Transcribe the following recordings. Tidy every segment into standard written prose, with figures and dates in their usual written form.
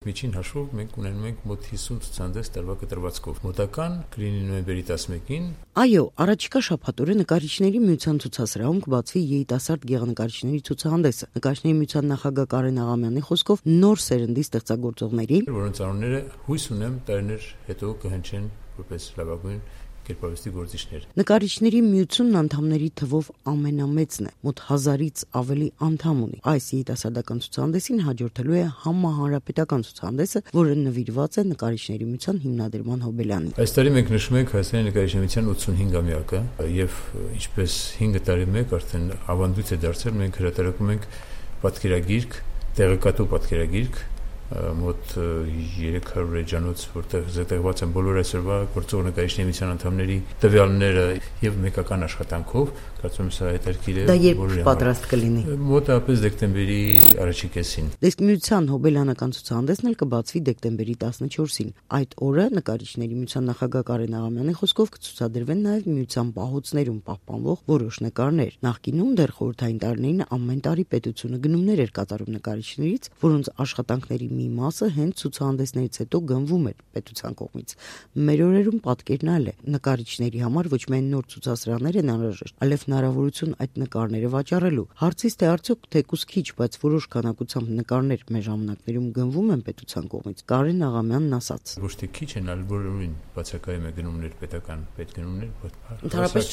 Միջին հաշվով մենք ունենում ենք մոտ 50 ցուցահանդես տարվա կտրվածքով։ Մոտական կլինի նոյեմբերի 11-ին։ Այո, առաջիկա շաբաթօրը Նկարիչների միության ցուցասրահում կբացվի երիտասարդ գեղանկարիչների ցուցահանդեսը։ Նկարիչների միության նախագահ Կարեն Աղամյանի խոսքով նոր սերնդի ստեղծագործողների, որոնց անունները հույս ունեմ տարիներ հետո կհնչեն որպես լավագույն կերպարվեստի գործիչներ։ Նկարիչների միությունն անդամների թվով ամենամեծն է, մոտ 1000-ից ավելի անդամ ունի։ Այս երիտասարդական ցուցահանդեսին հաջորդելու է համահանրապետական ցուցահանդեսը, որը նվիրված է Նկարիչների միության հիմնադրման հոբելյանին։ Այս տարի մենք նշում ենք Հայաստանի Նկարիչների միության 85-ամյակը եւ ինչպես 5 տարի մեկ արդեն ավանդույթ է դարձել, մենք հրատարակում ենք պատկերագիրք, տեղեկատու պատկերագիրք, մոտ 300 էջանոց, որտեղ զետեղված են բոլոր այսօրվա գործող նկարիչների միության անդամների տվյալները եւ մեկական աշխատանքով, կարծում եմ սա հետաքրքիր է։ Դա երբ պատրաստ կլինի։ Մոտավորապես դեկտեմբերի առաջին կեսին։ Իսկ միության հոբելյանական ցուցահանդեսն էլ կբացվի դեկտեմբերի 14-ին։ Այդ օրը Նկարիչների միության նախագահ Կարեն Աղամյանի խոսքով կցուցադրվեն նաեւ միության պահոցներում պահպանվող որոշ նկարներ։ Նախկինում դեռ խորհրդային տարիներին ամեն տարի պետությունը գնումներ էր կատարում նկարիչներից, որոնց աշխատանքների մի մասը հենց ցուցահանդեսներից հետո գնվում էր պետության կողմից։ Մեր օրերում պատկերն այլ է։ Նկարիչների համար ոչ միայն նոր ցուցասրահներ են անհրաժեշտ, այլև հնարավորություն այդ նկարները վաճառելու։ Հարցից թե արդյոք թեկուզ քիչ, բայց որոշ քանակությամբ նկարներ մեր ժամանակներում գնվում են պետության կողմից, Կարեն Աղամյանն ասաց. Ոչ թե քիչ են, այլ բոլորին բացակայում է գնումներ պետական պետգնումներ, Ընդհանրապես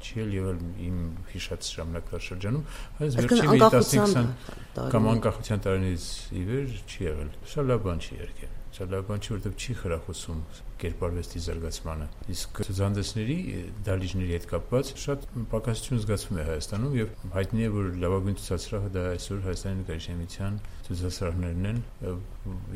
չի եղել իմ հիշած ժամանակաշրջանում, այս վերջին 15-20 կամ անկախության տարիներից ի վեր չի եղել։ Սա լավ բան չի եղել։ Սա լավ բան չի, որովհետև չի խրախուսում կերպարվեստի զարգացմանը։ Իսկ ցուցահանդեսների դահլիճների հետ կապված շատ պակասություն զգացվում է Հայաստանում եւ հայտնի է, որ լավագույն ցուցասրահը դա այսօր Հայաստանի Նկարիչների միության ցուցասրահներն են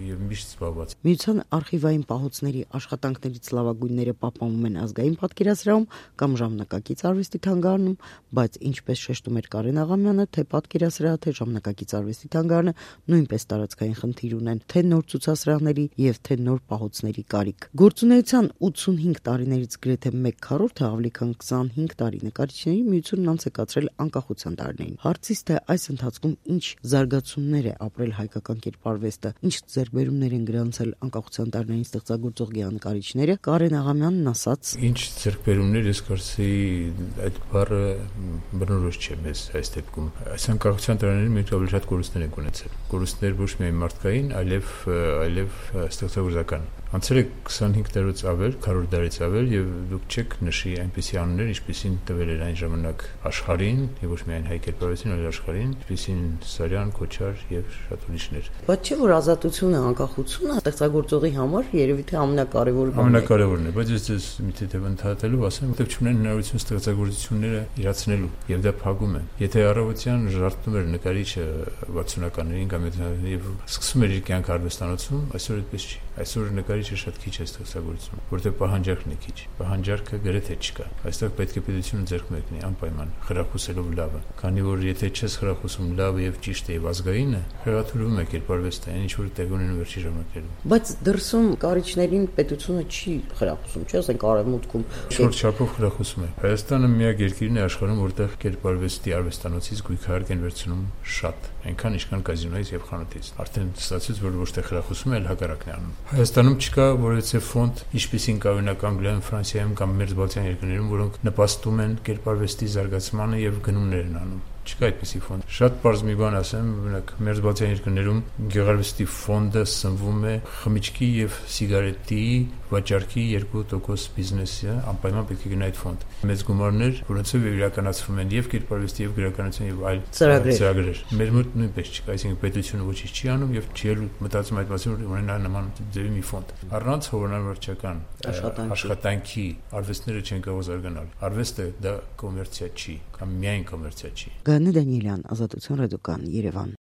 եւ միշտ զբաղված։ Միության արխիվային պահոցների աշխատանքներից լավագույնները պահպանվում են ազգային պատկերասրահում կամ ժամանակակից արվեստի թանգարանում, բայց ինչպես շեշտում էր Կարեն Աղամյանը, թե պատկերասրահը, թե ժամանակակից արվեստի թանգարանը նույնպես տարածքային խնդիր ունեն, թե նոր ցուցասրահների եւ թե նոր պահոցների կարիք։ Գործունեության 85 տարիներից գրեթե 1/4-ը ավելի քան 25 տարի Նկարիչների միությունն անց է կացրել անկախության տարիներին։ Հարցից թե այս ընթացքում ինչ զարգացումներ է ապրել հայկական կերպարվեստը, ինչ ձեռքբերումներ են գրանցել անկախության տարիներին ստեղծագործող գեղանկարիչները, Կարեն Աղամյանն ասաց. Ինչ ձեռքբերումներ, ես կարծեի այդ բառը բնորոշ չէ մեզ այս դեպքում։ Այս անկախության տարիներին մենք ավելի շատ կորուստներ ենք ունեցել։ Կորուստներ ոչ միայն մարդկային, այլև ստեղծագործական։ Անցել է 25 տարուց ավել, 100 տարից ավել եւ դուք չեք նշի այնպիսի անուններ, ինչպիսին տվել էր այն ժամանակ աշխարհին, եւ ոչ միայն հայ կերպարվեստին, այլ աշխարհին, ինչպիսին Սարյան, Քոչար եւ շատ ուրիշներ։ Բայց չէ՞ որ ազատությունը, անկախությունը ստեղծագործողի համար երևի թե ամենակարևորը։ Ամենակարևորն է, բայց ես ձեզ մի թեթև ընդհատելու ասեմ, որտեղ չունեն հնարավորություն ստեղծագործությունները իրացնելու եւ դա փակում են։ Եթե առավոտյան ժարտում էր նկարիչը 60-ականներին կամ 70-ականներին եւ սկսում էր իր կյանքը արվեստանոցում, այսօր այդպես չի։ Այսօր նկարիչը շատ քիչ է ստեղծագործում, որտեղ պահանջարկն է քիչ։ Պահանջարկը գրեթե չկա։ Այստեղ պետք է պետությունը ձեռք մեկնի անպայման, խրախուսելով լավը։ Քանի որ եթե չես խրախուսում լավը եւ ճիշտը եւ ազգայինը, հեղաթյուրվում է կերպարվեստը, ինչ որ տեղ ունեն վերջի ժամանակներում։ Բայց դրսում նկարիչներին պետությունը չի խրախուսում, չէ՞, ասենք արևմուտքում շուրջ չափով խրախուսում է։ Հայաստանը միակ երկիրն է աշխարհում, որտեղ կերպարվեստի արվեստանոցից գույքահարկ են վերցնում շատ, այնքան ինչքան կազինոից եւ խանութից։ Արդեն ստացվեց, որ ոչ թե խրախուսում է, այլ հակառակն է անում։ Հայաստանում չկա որևէ ֆոնդ, ինչպիսին կա օրինակ Անգլիայում, Ֆրանսիայում կամ մերձբալթյան երկրներում, որոնք նպաստում են կերպարվեստի զարգացմանը եւ գնումներ են անում։ Չկա այդպիսի ֆոնդ։ Շատ պարզ մի բան ասեմ, օրինակ մերձբալթյան երկրներում գեղարվեստի ֆոնդը սնվում է խմիչքի եւ սիգարետի վաճառքի 2% բիզնեսը, անպայման պետք է գնա այդ ֆոնդ։ Մեծ գումարներ, որոնցով իրականացվում են եւ կերպարվեստի եւ գրականության եւ այլ ծրագրեր։ Մեր մոտ նույնպես չկա, այսինքն պետությունը ոչինչ չի անում եւ չի մտածում այդ մասին, որ ունենա նման ձևի մի ֆոնդ։ Առանց հովանավորչական աշխատանքի արվեստները չեն կարող զարգանալ։ Արվեստը դա կոմերցիա չի կամ միայն կոմերցիա չի։ Գաներ Դանիելյան, Ազատություն ռադիոկան, Երևան։